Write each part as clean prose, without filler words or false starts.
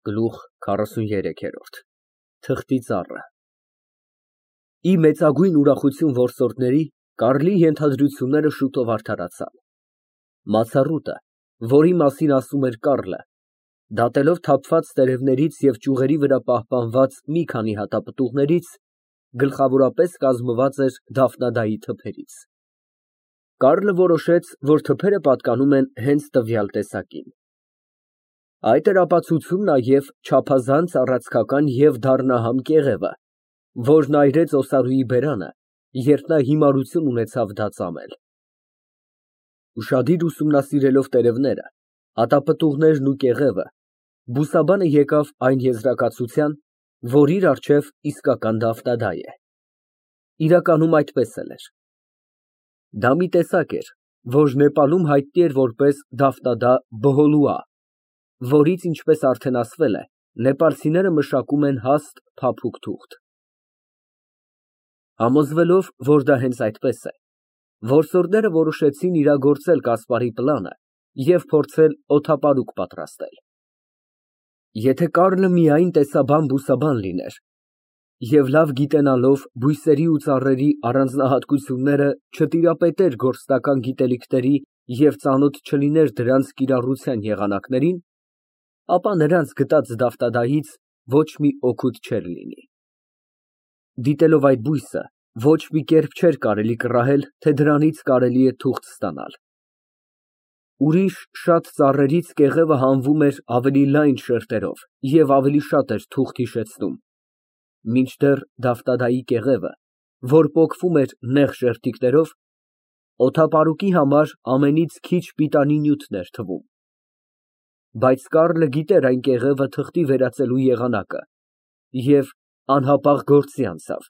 Գլուխ 43 Թղթի ծառը Ի մեծագույն ուրախություն որսորդների, Կարլի ենթադրությունները շուտով արդարացան։ Մացառուտը, որի մասին ասում էր Կառլը, դատելով թափված տերևներից և ճյուղերի վրա պահպանված մի քանի հատապտուղներից, գլխավորապես կազմված էր Դաֆնադայի թփերից։ Կառլը որոշեց, որ թփերը պատկանում են հենց տվյալ տեսակին։ Այդ էր ապացուցում նաև չափազանց առացքական և դառնահամ կեղևը, որն այրեց Օսարուի բերանը, երբ նա հիմարություն ունեցավ դա ծամել։ Ուշադիր ուսումնասիրելով տերևները, հատապտուղներն ու կեղևը, բուսաբանը եկավ այն եզրակացության, որ իր առջև իսկական Դաֆնադա է։ Իրականում այդպես էլ էր։ Դա մի տեսակ էր, որ Նեպալում հայտնի էր որպես Դաֆնադա բհոլուա, որից, ինչպես արդեն ասվել է, նեպալցիները մշակում են հաստ, փափուկ թուղթ։ Համոզվելով, որ դա հենց այդպես է, որսորդները որոշեցին իրագործել Կասպարի պլանը և փորձել օդապարուկ պատրաստել։ Եթե Կառլը միայն տեսաբան֊բուսաբան լիներ և լավ գիտենալով բույսերի ու ծառերի առանձնահատկությունները չտիրապետեր գործնական գիտելիքների և ծանոթ չլիներ դրանց կիրառության եղանակներին, ապա նրանց գտած Դաֆնադայից ոչ մի օգուտ չէր լինի։ Դիտելով այդ բույսը, ոչ մի կերպ չէր կարելի կռահել, թե դրանից կարելի է թուղթ ստանալ։ Ուրիշ շատ ծառերից կեղևը հանվում էր ավելի լայն շերտերով և ավելի շատ էր թուղթ հիշեցնում, մինչդեռ Դաֆնադայի կեղևը, որ պոկվում էր նեղ շերտիկներով, օդապարուկի համար ամենից քիչ պիտանի նյութն էր թվում։ Բայց Կառլը գիտեր այն կեղևը թղթի վերածելու եղանակը և անհապաղ գործի անցավ,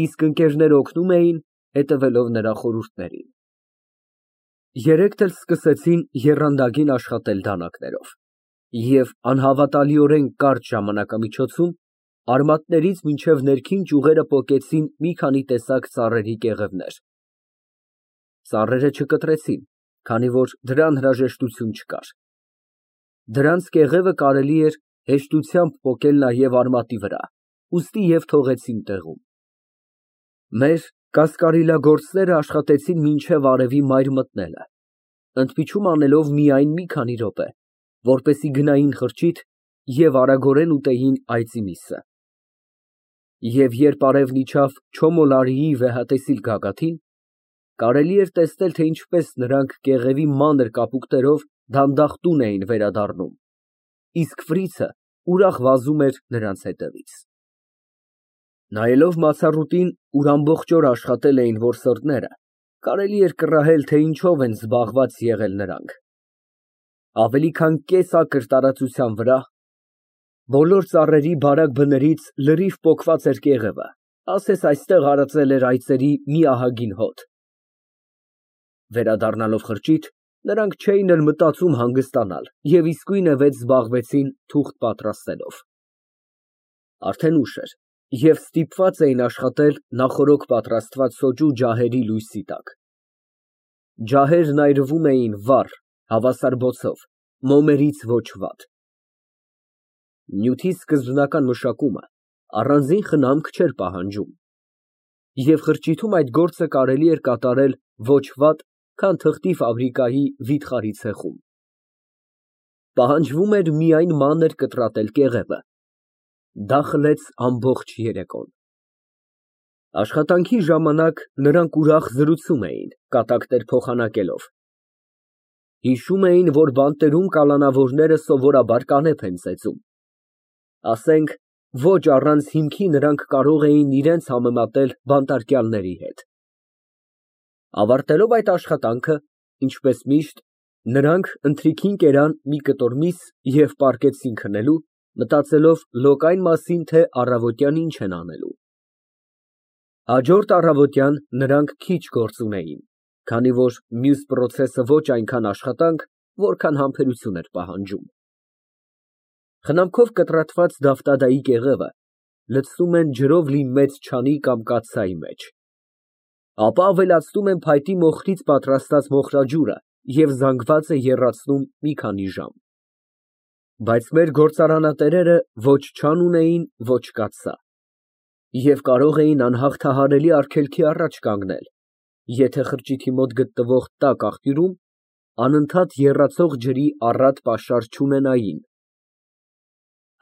իսկ ընկերները օգնում էին, հետևելով նրա խորհուրդներին։ Երեքդ էլ սկսեցին եռանդագին աշխատել դանակներով և անհավատալիորեն կարճ ժամանակամիջոցում արմատներից մինչև ներքին ճյուղերը պոկեցին մի քանի տեսակ ծառերի կեղևներ։ Ծառերը չկտրեցին, քանի որ դրան հրաժեշտություն չկար։ Դրանց կեղևը կարելի էր հեշտությամբ պոկել նաև արմատի վրա, ուստի և թողեցին տեղում։ Մեր կասկարիլագործները աշխատեցին մինչև արևի մայր մտնելը, ընդմիջում անելով միայն մի քանի րոպե, որպեսզի գնային խրճիթ և արագորեն ուտեին այծի միսը։ Եվ երբ արևն իջավ Չոմոլարիի վեհատեսիլ գագաթին, կարելի էր տեսնել, թե ինչպես նրանք կեղևի մանր կապուկներով դանդաղ տուն էին վերադառնում, իսկ ֆրիցը ուրախ վազում էր նրանց հետևից։ Նայելով մացառուտին, ուր ամբողջ օր աշխատել էին որսորդները, կարելի էր կռահել, թե ինչով են զբաղված եղել նրանք։ Ավելի քան կես ակր տարածության վրա բոլոր ծառերի բարակ բներից լրիվ պոկված էր կեղևը, ասես այստեղ արածել էր այծերի մի ահագին հոտ։ Վերադառնալով խրճիթ, նրանք չէին էլ մտածում հանգստանալ և իսկույնևեթ զբաղվեցին թուղթ պատրաստելով։ Արդեն ուշ էր, և ստիպված էին աշխատել նախօրոք պատրաստված սոճու ջահերի լույսի տակ։ Ջահերն այրվում էին վառ, հավասար բոցով, մոմերից ոչ վատ։ Նյութի սկզբնական մշակումը առանձին խնամք չէր պահանջում, և խրճիթում այդ գործը կարելի էր կատարել ոչ վատ, քան թղթի ֆաբրիկայի վիթխարի ցեխում։ Պահանջվում էր միայն մանր կտրատել կեղևը։ Դա խլեց ամբողջ երեկոն։ Աշխատանքի ժամանակ նրանք ուրախ զրուցում էին, կատակներ փոխանակելով։ Հիշում էին, որ բանտերում կալանավորները սովորաբար կանեփ են ծեծում։ Ասենք, ոչ առանց հիմքի նրանք կարող էին իրենց համեմատել բանտարկյալների հետ։ Ավարտելով այդ աշխատանքը, ինչպես միշտ, նրանք ընթրիքին կերան մի կտոր միս և պառկեցին քնելու, մտածելով լոկ այն մասին, թե առավոտյան ինչ են անելու։ Հաջորդ առավոտյան նրանք քիչ գործ ունեին, քանի որ մյուս պրոցեսը ոչ այնքան աշխատանք, որքան համբերություն էր պահանջում։ Խնամքով կտրատված Դաֆնադայի կեղևը լցնում են ջրով լի մեծ չանի կամ կաթսայի մեջ, ապա ավելացնում են փայտի մոխրից պատրաստած մոխրաջուրը և զանգվածը եռացնում մի քանի ժամ։ Բայց մեր գործարանատերերը ոչ չան ունեին, ոչ կաթսա, և կարող էին անհաղթահարելի արգելքի առաջ կանգնել, եթե խրճիթի մոտ գտնվող տաք աղբյուրում անընդհատ եռացող ջրի առատ պաշար չունենային։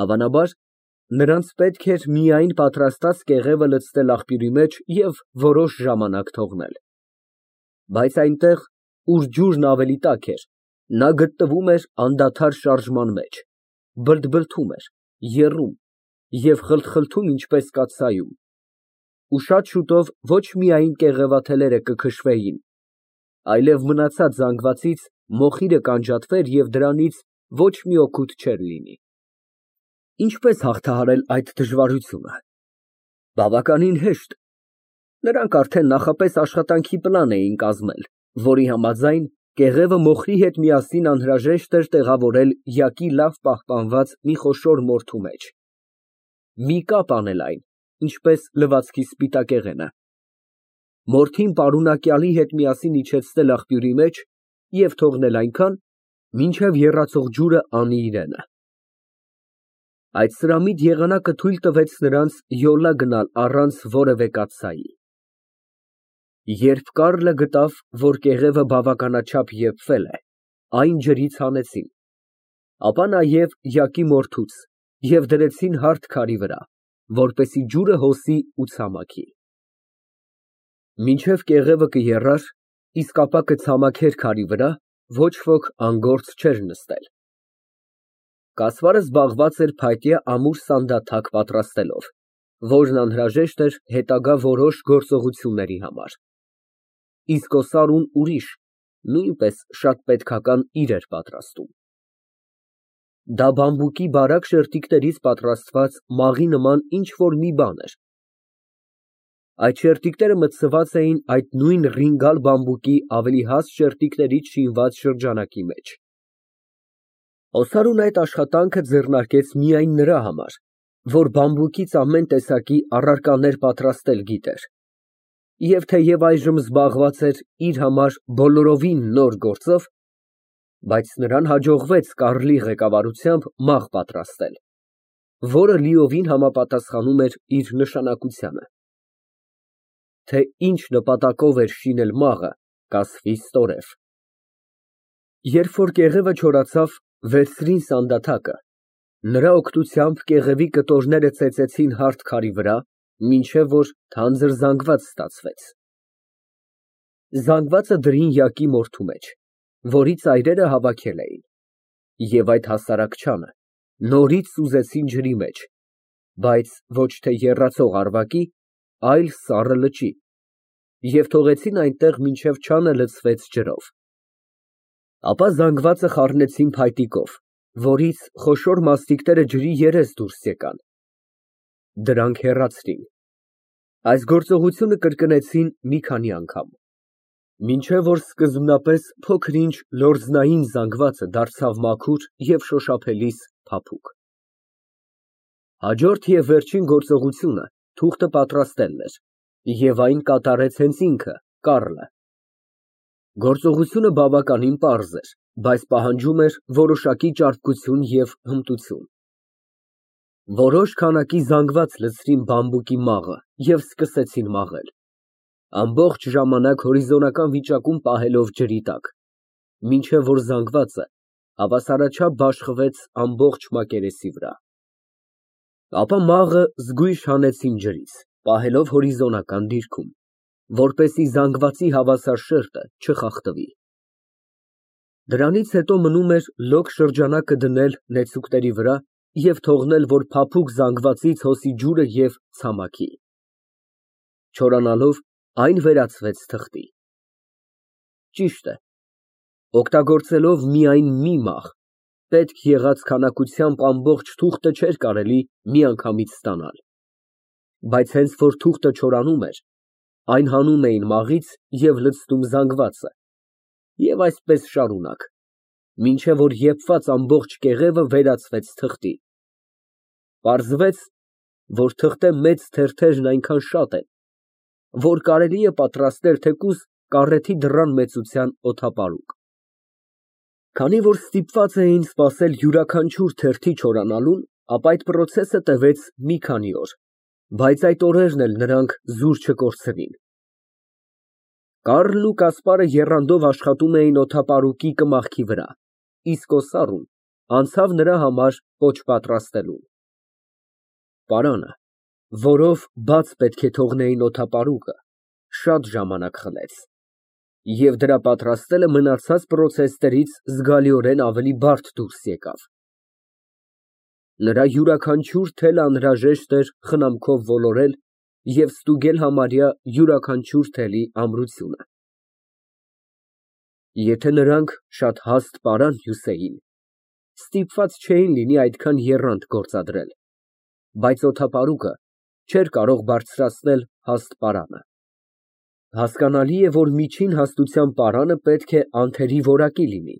Հավանաբար, նրանց պետք էր միայն պատրաստած կեղևը լցնել աղբյուրի մեջ և որոշ ժամանակ թողնել։ Բայց այնտեղ, ուր ջուրն ավելի տաք էր, նա գտնվում էր անդադար շարժման մեջ, բլթբլթում էր, եռում և խլթխլթում ինչպես կաթսայում, ու շատ շուտով ոչ միայն կեղևաթելերը կքշվեին, այլև մնացած զանգվածից մոխիրը կանջատվեր և դրանից ոչ մի օգուտ չէր լինի։ Ինչպե՞ս հաղթահարել այդ դժվարությունը։ Բավականին հեշտ։ Նրանք արդեն նախապես աշխատանքի պլան էին կազմել, որի համաձայն կեղևը մոխրի հետ միասին անհրաժեշտ էր տեղավորել յակի լավ պահպանված մի խոշոր մորթու մեջ, մի կապ անել այն, ինչպես լվացքի սպիտակեղենը, մորթին պարունակյալի հետ միասին իջեցնել աղբյուրի մեջ և թողնել այնքան, մինչև եռացող ջուրը անի իրենը։ Այդ սրամիտ եղանակը թույլ տվեց նրանց յոլա գնալ առանց որևէ կաթսայի։ Երբ Կարլը գտավ, որ կեղևը բավականաչափ եփվել է, այն ջրից հանեցին, ապա նաև յակի մորթուց և դրեցին հարթ քարի վրա, որպեսզի ջուրը հոսի ու ցամաքի։ Մինչև կեղևը կեռար, իսկ ապա կցամաքեր քարի վրա, ոչ ոք անգործ չէր նստել։ Կասվարը զբաղված էր փայտյա ամուր սանդաթակ պատրաստելով, որն անհրաժեշտ էր հետագա որոշ գործողությունների համար, իսկ օսարուն ուրիշ, նույնպես շատ պետքական իր էր պատրաստում։ Դա բամբուկի բարակ շերտիկներից պատրաստված մաղի նման ինչ֊որ մի բան էր։ Այդ շերտիկները մտցված էին այդ նույն ռինգալ բամբուկի ավելի հաստ շերտիկներից շինված շրջանակի մեջ։ Օսարուն այդ աշխատանքը ձեռնարկեց միայն նրա համար, որ բամբուկից ամեն տեսակի առարկաներ պատրաստել գիտեր, և թեև այժմ զբաղված էր իր համար բոլորովին նոր գործով, բայց նրան հաջողվեց Կարլի ղեկավարությամբ մաղ պատրաստել, որը լիովին համապատասխանում էր իր նշանակությանը։ Թե ինչ նպատակով էր շինել մաղը, կասվի ստորև։ Երբ որ կեղևը չորացավ, վերցրին սանդաթակը, նրա օգնությամբ կեղևի կտորները ծեծեցին հարթ քարի վրա, մինչև որ թանձր զանգված ստացվեց։ Զանգվածը դրին յակի մորթու մեջ, որի ծայրերը հավաքել էին, և այդ հասարակ չանը նորից սուզեցին ջրի մեջ, բայց ոչ թե եռացող առվակի, այլ սառը լճի, և թողեցին այնտեղ, մինչև չանը լցվեց ջրով։ Ապա զանգվածը խառնեցին փայտիկով, որից խոշոր մասնիկները ջրի երես դուրս եկան։ Դրանք հեռացրին։ Այս գործողությունը կրկնեցին մի քանի անգամ, մինչև որ սկզբնապես փոքր֊ինչ լորձնային զանգվածը դարձավ մաքուր և շոշափելիս փափուկ։ Հաջորդ և վերջին գործողությունը թուղթը պատրաստելն էր, և այն կատարեց հենց ինքը, Կարլը։ Գործողությունը բավականին պարզ էր, բայց պահանջում էր որոշակի ճարպկություն և հմտություն։ Որոշ քանակի զանգված լցրին բամբուկի մաղը և սկսեցին մաղել, ամբողջ ժամանակ հորիզոնական վիճակում պահելով ջրի տակ, մինչև որ զանգվածը հավասարաչափ բաշխվեց ամբողջ մակերեսի վրա։ Ապա մաղը զգույշ հանեցին ջրից, պահելով հորիզոնական դիրքում, որպեսզի զանգվածի հավասար շերտը չխախտվի։ Դրանից հետո մնում էր լոկ շրջանակը դնել նեցուկների վրա և թողնել, որ փափուկ զանգվածից հոսի ջուրը և ցամաքի։ Չորանալով, այն վերածվեց թղթի։ Ճիշտ է, օգտագործելով միայն մի մաղ, պետք եղած քանակությամբ ամբողջ թուղթը չէր կարելի միանգամից ստանալ, բայց հենց որ թուղթը չորանում էր, այն հանում էին մաղից և լցնում զանգվածը, և այսպես շարունակ, մինչև որ եփված ամբողջ կեղևը վերածվեց թղթի։ Պարզվեց, որ թղթե մեծ թերթերն այնքան շատ են, որ կարելի է պատրաստել թեկուզ կառեթի դռան մեծության օդապարուկ։ Քանի որ ստիպված էին սպասել յուրաքանչյուր թերթի չորանալուն, ապա այդ պրոցեսը տևեց մի քանի օր, բայց այդ օրերն էլ նրանք զուր չկորցրին։ Կարլն ու Կասպարը եռանդով աշխատում էին օդապարուկի կմախքի վրա, իսկ Օսառուն անցավ նրա համար պոչ պատրաստելուն։ Պարանը, որով բաց պետք է թողնեին օդապարուկը, շատ ժամանակ խլեց, և դրա պատրաստելը մնացած պրոցեսներից զգալիորեն ավելի բարդ դուրս եկավ։ Նրա յուրաքանչյուր թելը անհրաժեշտ էր խնամքով ոլորել և ստուգել համարյա յուրաքանչյուր թելի ամրությունը։ Եթե նրանք շատ հաստ պարան հյուսեին, ստիպված չէին լինի այդքան եռանդ գործադրել, բայց օդապարուկը չէր կարող բարձրացնել հաստ պարանը։ Հասկանալի է, որ միջին հաստության պարանը պետք է անթերի որակի լինի,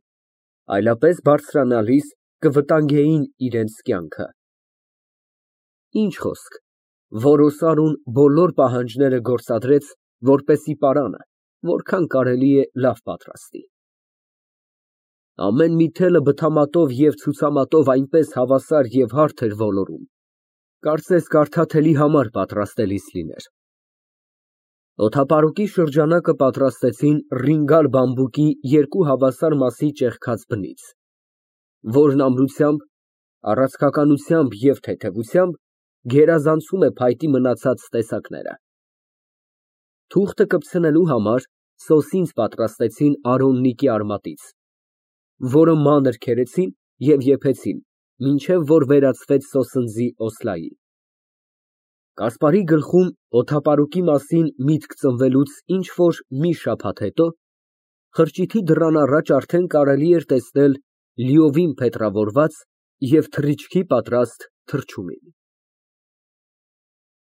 այլապես բարձրանալիս կվտանգեին իրենց կյանքը։ Ինչ խոսք, որ Օսարուն բոլոր պահանջները գործադրեց, որպեսզի պարանը որքան կարելի է լավ պատրաստի։ Ամեն մի թելը բթամատով և ցուցամատով այնպես հավասար և հարթ էր ոլորում, կարծես կարդաթելի համար պատրաստելիս լիներ։ Օդապարուկի շրջանակը պատրաստեցին ռինգալ բամբուկի երկու հավասար մասի ճեղքած բնից, որն ամրությամբ, առանցքականությամբ և թեթևությամբ գերազանցում է փայտի մնացած տեսակները։ Թուղթը կպցնելու համար սոսինձ պատրաստեցին արոննիկի արմատից, որը մանր քերեցին և եփեցին, մինչև որ վերածվեց սոսնձի օսլայի։ Կասպարի գլխում օդապարուկի մասին միտք ծնվելուց ինչ֊որ մի շաբաթ հետո խրճիթի դռան առաջ արդեն կարելի էր տեսնել լիովին փետրավորված և թռիչքի պատրաստ թռչունին։